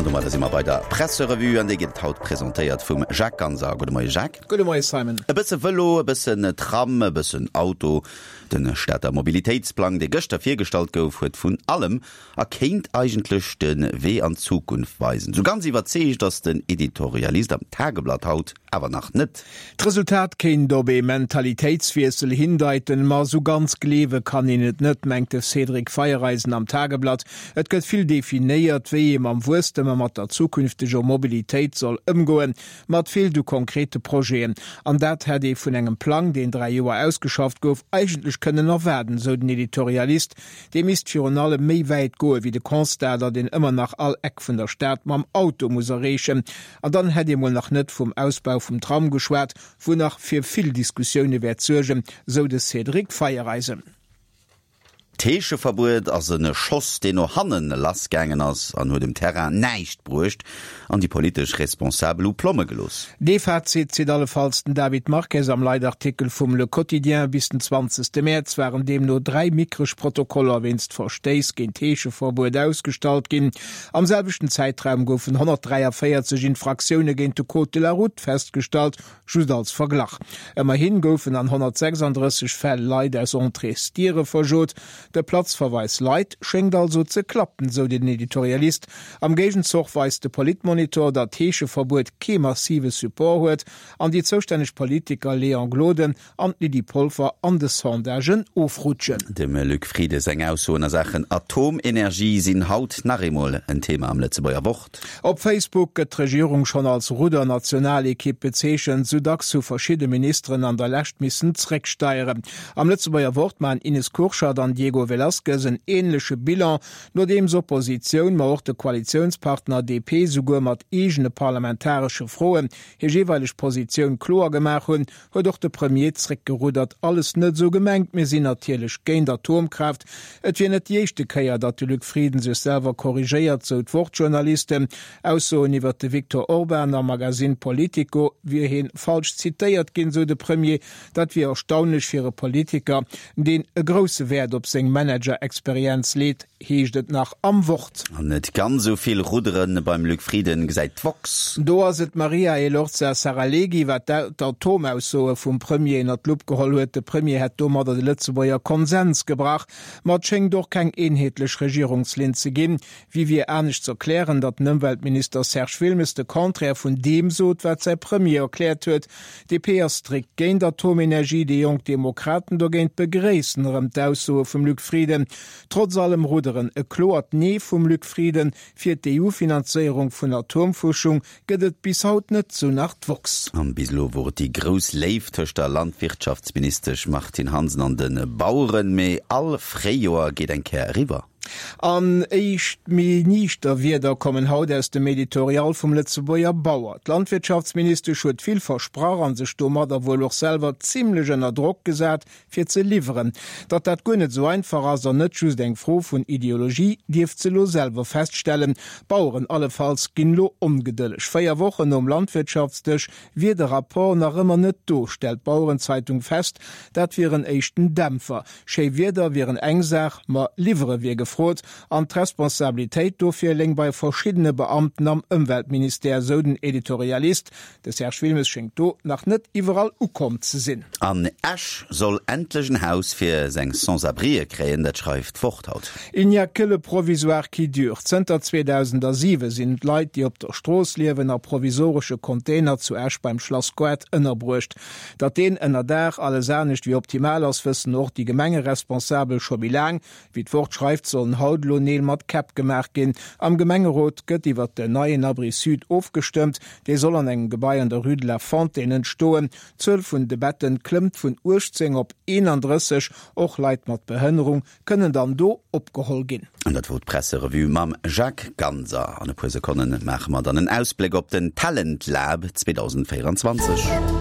domadder si mer bei der Presserevue an déi gëtt haut presentéiert vum Jacques Ganser. Gudde Moie Jacques. Gudde Moie Simon. E bësse Vëlo, e bëssen Tram, e bëssen Auto. De Stater Mobilitéitsplang, dee gëschter virgestallt gouf, huet vun allem a kéint eigentlech de Wee an d'Zukunft weisen. Sou ganz iwwerzeegt ass den Editorialist am Tageblatt haut awer nach net. D'Resultat kéint op ee Mentalitéitswiessel hindeiten, ma sou ganz gleewe kann een et net, mengt de Cédric Feiereisen am Tageblatt. Et gëtt vill definéiert, wéi ee mam Wuesstem a mat der zukünfteger Mobilitéit soll ëmgoen, ma et feelt u konkrete Projeten. An dat hätt ee vun engem Plang, deen 3 Joer ausgeschafft gouf, eigentlech kënnen erwaarden, sou den Editorialist. Dee misst virun allem méi wäit goe wéi de Constat, datt een ëmmer nach all Eck vun der Stad mam Auto muss erreechen. An dann hätt ee mol nach net vum Ausbau vum Tram geschwat, wou nach fir vill Diskussioune wäert suergen, sou de Cédric Feiereisen. D'Heescheverbuet ass e Schoss, deen no hannen lassgaangen ass an huet um Terrain näischt bruecht an déi politesch Responsabel hu Plomme gelooss. Dee Fazit zitt allefalls den David Marques am Leitartikel vum Le Quotidien. Bis den 20 Mäerz waren deemno 3 mikreg Protokoller wéinst Verstéiss géint d'Heescheverbuet ausgestallt ginn. Am selwechten Zäitraum goufen 143 Infraktioune géint de Code de la route festgestallt, just als Verglach. Ëmmerhi goufen an 136 Fäll Leit aus Entréesdiere verjot. De Platzverweis Leit schéngt also ze klappen, sou den Editorialist. Am Géigenzoch weist de Politmonitor, datt d'Heescheverbuet kee massive Support huet an déi zoustänneg Politiker Léon Gloden an d'Lydie Polfer an de Sondagen ofrutschen. Dem Luc Frieden seng Aussoen a Saachen Atomenergie sinn haut nach eemol en Thema am Lëtzebuerger Wort. Op Facebook gëtt d'Regierung schonn als Ruddernationalekipp bezeechent, sou dacks hu verschidde Ministeren an der Lescht missen zrécksteieren. Am Lëtzebuerger Wort maachen Ines Kurschat an Diego Velazquez en änleche Bilan, nodeems Oppositioun, ma och de Koalitiounspartner DP souguer mat eegene parlamentaresche Froen hir jeeweileg Positioun kloer gemaach hunn, huet och de Premier zréckgeruddert. Alles net esou gemengt, mir sinn natierlech géint Atomkraaft. Et wier net déi éischte Kéier, datt de Luc Frieden sech selwer korrigéiert, sou d'Wort-Journalisten. Aussoen iwwert de Viktor Orban am Magasinn Politico wier hie falsch zitéiert ginn, sou de Premier. Dat wier erstaunlech fir e Politiker, deen e grousse Wäert op seng Manager-Experienz leet. Heescht et nach am Wort. An net ganz esou vill Ruddere beim Luc Frieden gesäit d'woxx. Do ass et d'Maria Elorza Saralegui, wat d'Atomaussoe vum Premier ënner d'Lupp geholl huet. De Premier hätt domadder de Lëtzebuerger Konsens gebrach. Ma et schéngt och keng eenheetlech Regierungslinn ze ginn. Wéi wier anescht z'erklären, datt den Ëmweltminister Serge Wilmes de Contraire vun deem sot, wat säi Premier erkläert huet? DP ass strikt géint Atomenergie, déi jonk Demokraten dogéint begréissen erëm d'Aussoe vum Luc Frieden. Trotz allem Rudderen, e kloert Nee vum Luc Frieden fir d'EU-Finanzéierung vun Atomfuerschung gëtt et bis haut net, sou nach d'woxx. An bis elo wor et déi grouss Léift tëscht der Landwirtschaftsministesch Martine Hansen an de Baueren, mee all Fréijoer geet eng Kéier eriwwer. An éischt méi niichter Wierder kommen haut aus dem Editorial vum Lëtzebuerger Bauer. D'Landwirtschaftsministesch huet vill versprach an sech domadder wuel och selwer zimlech ënner Drock gesat, fir ze liwweren. Datt dat guer net esou einfach ass an net just eng Fro vun Ideologie, dierft se elo selwer feststellen. D'Baueren allefalls ginn elo ongedëlleg. 4 Wochen nom Landwirtschaftsdësch wier de Rapport nach ëmmer net do, stellt d'Bauerenzeitung fest. Dat wier en éischten Dämpfer. Schéi Wierder wieren eng Saach, ma liwwere wier gefrot. An d'Responsabilitéit dofir léing bei verschiddene Beamten am Ëmweltministère, sou den Editorialist. De Serge Wilmes schéngt do nach net iwwerall ukomm ze sinn. An Esch soll endlech en Haus fir seng Sans-abrien kréien, dat schreift d'Wort haut. Il n'y a que le provisoire qui dure. Zënter 2007 sinn d'Leit, déi op der Strooss liewen, a provisoresche Container zu Esch beim Schlass Goart ënnerbruecht. Datt deen Ënnerdaach alles anescht wéi optimal ass, wëssen och déi Gemengeresponsabel scho méi laang. Wéi d'Wort schreift, sollen haut elo Neel mat Käpp gemaach ginn. Am Gemengerot gëtt iwwert den neien Abri Sud ofgestëmmt. Dee soll an engem Gebai an der Rue de la Fontaine entstoen. D'Zuel vun de Betten klëmmt vun 18 op 31. Och Leit mat Behënnerung kënnen dann do opgeholl ginn. An dat wor d'Presserevue mam Jacques Ganser. An e puer Sekonne maache mer dann en Ausbléck op den Talent Lab 2024.